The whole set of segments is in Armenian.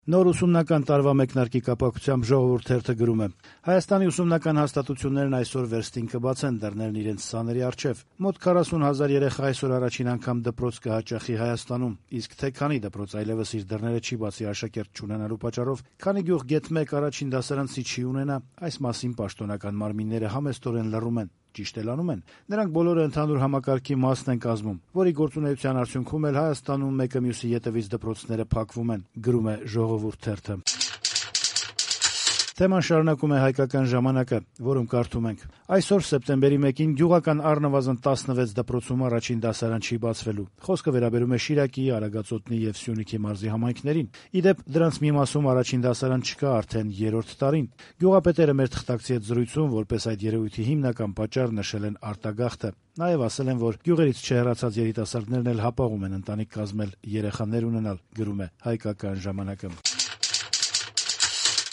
Նոր ուսումնական տարվա մեկնարկի կապակցությամբ «Ժողովուրդ» թերթը գրում է. Հայաստանի ուսումնական հաստատություններն այսօր վերստին կբացեն դռներն իրենց սաների առջև։ Մոտ 40,000 երեխա այսօր առաջին անգամ դպրոց կհաճախի Հայաստանում, իսկ թե քանի դպրոց այլևս իր դռները չի բացի աշակերտ չունենալու պատճառով, քանի գյուղ գեթ 1 առաջին դասարանցի չի ունենա, այս մասին պաշտոնական մարմինները համեստորեն լռում են։ Ճիշտ էլ անում են։ Նրանք բոլորը ընդհանուր համակարգի մասն են կազմում, որի գործունեության արդյունքում էլ Հայաստանում մեկը մյուսի ետևից դպրոցները փակվում են, գրում է «Ժողովուրդ» թերթը։ Թեման շարունակում է «Հայկական ժամանակը», որում կարդում ենք. այսօր սեպտեմբերի 1-ին գյուղական առնվազն 16 դպրոցում առաջին դասարան չի բացվելու։ Խոսքը վերաբերում է Շիրակի, Արագածոտնի եւ Սյունիքի մարզի համայնքներին։ Ի դեպ, դրանց մի մասում առաջին դասարան չկա արդեն 3-րդ տարին։ Գյուղապետերը մեր թղթակցի հետ զրույցում որպես այդ երևույթի հիմնական պատճառ նշել են արտագաղթը։ Նաեւ ասել են, որ գյուղերից չհեռացած երիտասարդներն էլ հապաղում են ընտանիք կազմել, երեխաներ ունենալ, գրում է «Հայկական ժամանակը»։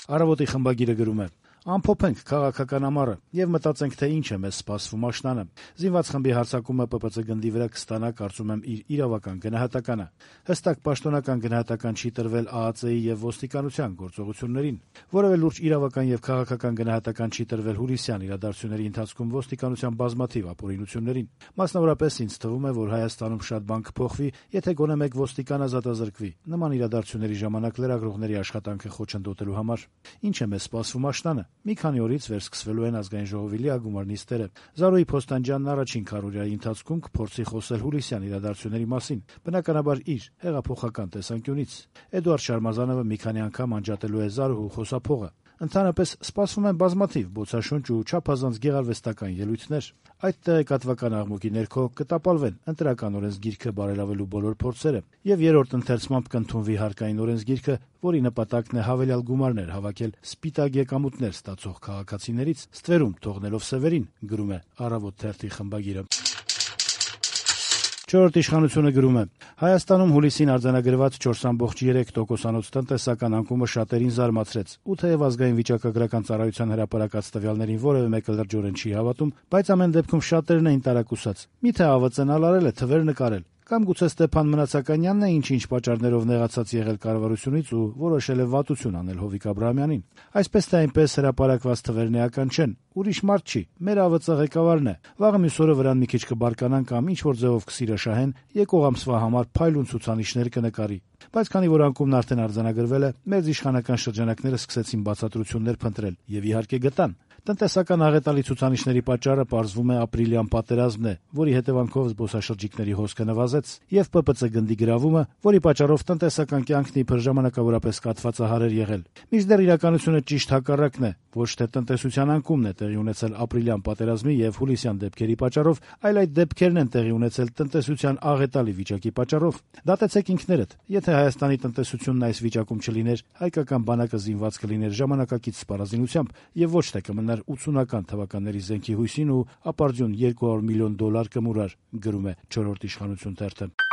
Առավոտի խմբագիրը գրում է. ամփոփենք քաղաքական ամառը եւ մտածենք, թե ինչ է մեզ սպասվում աշնանը։ Զինված խմբի հարձակումը ՊՊՑ գնդի վրա կստանա, կարծում եմ, իր իրավական գնահատականը։ Հստակ պաշտոնական գնահատական չի տրվել ԱԱԾ-ի եւ ոստիկանության գործողություններին։ Որևէ լուրջ իրավական եւ քաղաքական գնահատական չի տրվել հուլիսյան իրադարձությունների ընթացքում ոստիկանության բազմաթիվ ապօրինություններին։ Մասնավորապես ինձ թվում է, որ Հայաստանում շատ բան կփոխվի, եթե գոնե մեկ ոստիկան ազատազրկվի։ Նման իրադարձությունների ժամանակ լրագրողների աշխատանքը խոչընդոտելու համար։ Ինչ է մեզ սպասվում աշնանը։ Մի քանի օրից վերսկսվելու են ազգային ժողովի լիագումար նիստերը։ Զարուհի Փոստանջյանն առաջին քառօրյայի ընթացքում կփորձի խոսել հուլիսյան իրադարձությունների մասին, բնականաբար իր հեղափոխական տեսանկյունից։ Էդուարդ Շարմազանովը մի քանի անգամ անջատելու է Զարուհու խոսափողը։ Ընդհանրապես սպասվում են բազմաթիվ բոցաշունչ ու չափազանց գեղարվեստական ելույթներ։ Այդ տեղեկատվական աղմուկի ներքո կտապալվեն ընտրական օրենսգիրքը բարելավելու բոլոր փորձերը եւ երրորդ ընթերցմամբ կընդունվի հարկային օրենսգիրքը, որի նպատակն է հավելյալ գումարներ հավաքել սպիտակ եկամուտներ ստացող քաղաքացիներից, ստվերում թողնելով սևերին, գրում է «Առավոտ» թերթի խմբագիրը։ Չորրորդ իշխանությունը գրում է. Հայաստանում հուլիսին արձանագրված 4,3%-անոց տնտեսական անկումը շատերին զարմացրեց, ու թեև ազգային վիճակագրական ծառայության հրապարակած տվյալներին որևէ մեկը լրջորեն չի հավատում, բայց ամեն դեպքում շատերն էին տարակուսած։ Միթե ԱՎԾ-ն արել է թվեր նկարել։ Կամ գուցե Ստեփան Մնացականյանն է ինչ-ինչ պատճառներով նեղացած եղել կառավարությունից ու որոշել է վատություն անել Հովիկ Աբրահամյանին։ Այսպես թե այնպես հրապարակված թվերն էական չեն։ Ուրիշ մարդ չի, մեր ԱՎԾ ղեկավարն է։ Վաղը մյուս օրը վրան մի քիչ կբարկանան կամ ինչ-որ ձևով կսիրաշահեն, եկող ամսվա համար փայլուն ցուցանիշներ կնկարի։ Բայց քանի որ անկումն արդեն արձանագրվել է, մեր իշխանական շրջանակները սկսեցին բացատրություններ փնտրել եւ իհարկե գտան։ Տնտեսական աղետալի ցուցանիշների պատճառը պարզվում է ապրիլյան պատերազմն է, որի հետևանքով զբոսաշրջիկների հոսքը նվազեց, եւ ՊՊՑ գնդի գրավումը, որի պատճառով տնտեսական կյանքն իբր ժամանակավորապես կաթվածահար էր եղել։ Մինչդեռ իրականությունը ճիշտ հակառակն է, ոչ թե տնտեսության անկումն է տեղի ունեցել ապրիլյան պատերազմի եւ հուլիսյան դեպքերի պատճառով, այլ այդ դեպքերն են տեղի ունեցել տնտեսության աղետալի վիճակի պատճառով։ Դատեցեք ինքներդ, եթե Հայաստանի տնտեսությունն այս վիճակում չլիներ, հայկական բանակը զինված կլիներ ժամանակակից սպառազինությամբ եւ ոչ թե կմնար 80-ական թվականների զենքի հույսին ու ապարդյուն $200 միլիոն կմուրար, գրում է «Չորրորդ իշխանություն» թերթը։